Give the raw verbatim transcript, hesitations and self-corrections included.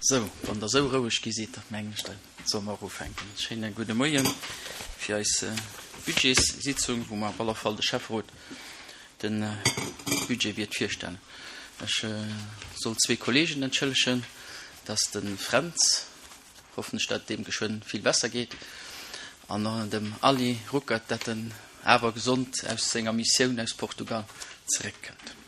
Sou, wann Der esou roueg gi sidd, da mengen ech, da solle mer och ufänken. E schéine gudde Moie fir eis Budgetssitzung, wou mer op alle Fall de Schäfferot de Budget wäert virstellen. Ech soll zwee Kollegen entschëllegen, dat ass de Fränz, hoffen ech, dat et deem geschwënn vill besser geet, an dem Aly Ruckert, dat en awer gesond aus senger Missioun aus Portugal zeréckkënnt.